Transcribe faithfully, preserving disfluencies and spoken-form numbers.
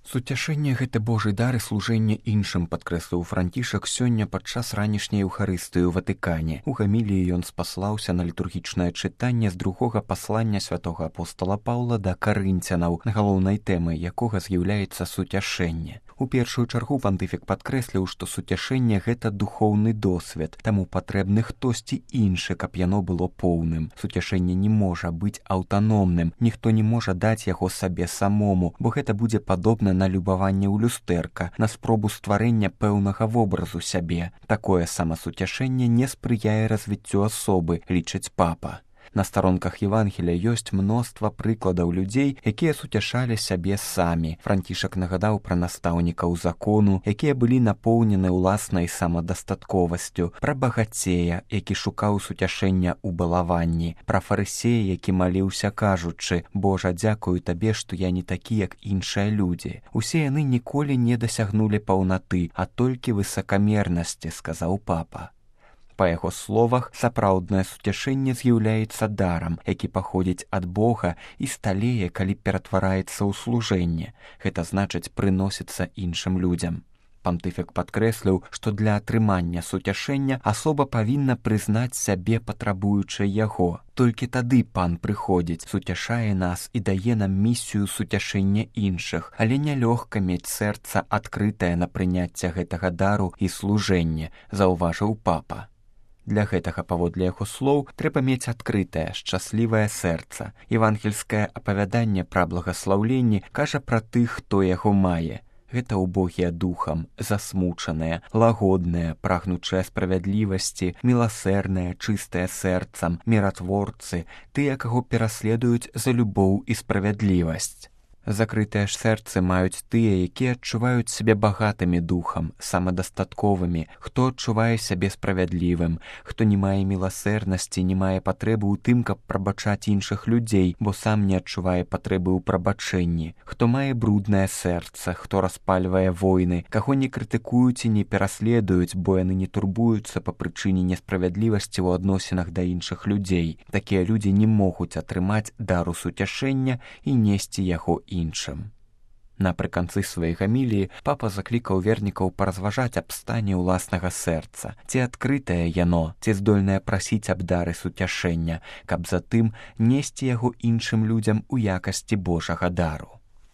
Суцяшэнне гэта Божы дар і служэнне іншым, падкрэсліў Францішак сёння падчас ранішняй Еўхарыстыі ў Ватыкане. У гаміліі ён спаслаўся на літургічнае чытанне з другога паслання святога апостола Паўла да карынцянаў, галоўнай тэмай якога з'яўляецца суцяшэнне. У першую чаргу пантыфік падкрэсліў, што суцяшэнне гэта духоўны досвед, таму патрэбны хтосьці іншы, каб яно было поўным. Суцяшэнне не можа быць аўтаномным, ніхто не можа даць яго сабе самому, бо гэта будзе падобна на любаванне ў люстэрка, на спробу стварэння пэўнага вобразу сябе. Такое самасуцяшэнне не спрыяе развіццю асобы, лічыць папа. На старонках Евангелія ёсць мноства прыкладаў людзей, якія суцяшалі сябе самі. Францішак нагадаў пра настаўнікаў закону, якія былі напоўнены ўласнай самадастатковасцю, пра багацея, які шукаў суцяшэння ў балаванні, пра фарысея, які маліўся кажучы: «Божа, дзякую табе, што я не такі, як іншыя людзі». Усе яны ніколі не дасягнулі паўнаты, а толькі высакамернасці, сказаў папа. Па яго словах, сапраўднае суцяшэнне з'яўляецца дарам, які паходзіць ад Бога і сталее, калі ператвараецца ў служэнне. Гэта значыць прыносіцца іншым людзям. Пантыфік падкрэсліў, што для атрымання суцяшэння асоба павінна прызнаць сябе патрабуючай яго. Толькі тады пан прыходзіць, суцяшае нас і дае нам місію суцяшэння іншых, але нялёгка мець сэрца адкрытае на прыняцце гэтага дару і служэнне, заўважыў папа. Для гэтага, паводле яго слоў, трэба мець адкрытае, шчаслівае сэрца. Евангельскае апавяданне пра благаслаўленне кажа пра тых, хто яго мае. Гэта убогія духам, засмучаныя, лагодныя, прагнучыя справядлівасці, міласэрныя, чыстыя сэрцам, міратворцы, тыя, каго пераследуюць за любоў і справядлівасць. Закрытыя ж сэрцы маюць тыя, якія адчуваюць сябе багатымі духам, самадастатковымі, хто адчувае сябе справядлівым, хто не мае міласэрнасці, не мае патрэбы ў тым, каб прабачаць іншых людзей, бо сам не адчувае патрэбы ў прабачэнні, хто мае бруднае сэрца, хто распальвае войны, каго не крытыкуюць і не пераследуюць, бо яны не турбуюцца па прычыне несправядлівасці ў адносінах да іншых людзей. Такія людзі не могуць атрымаць дару суцяшэння і несці яго іншым. Напрыканцы сваёй гаміліі папа заклікаў вернікаў паразважаць аб стане ўласнага сэрца, ці адкрытае яно, ці здольнае прасіць аб дары суцяшэння, каб затым несці яго іншым людзям у якасці Божага дару.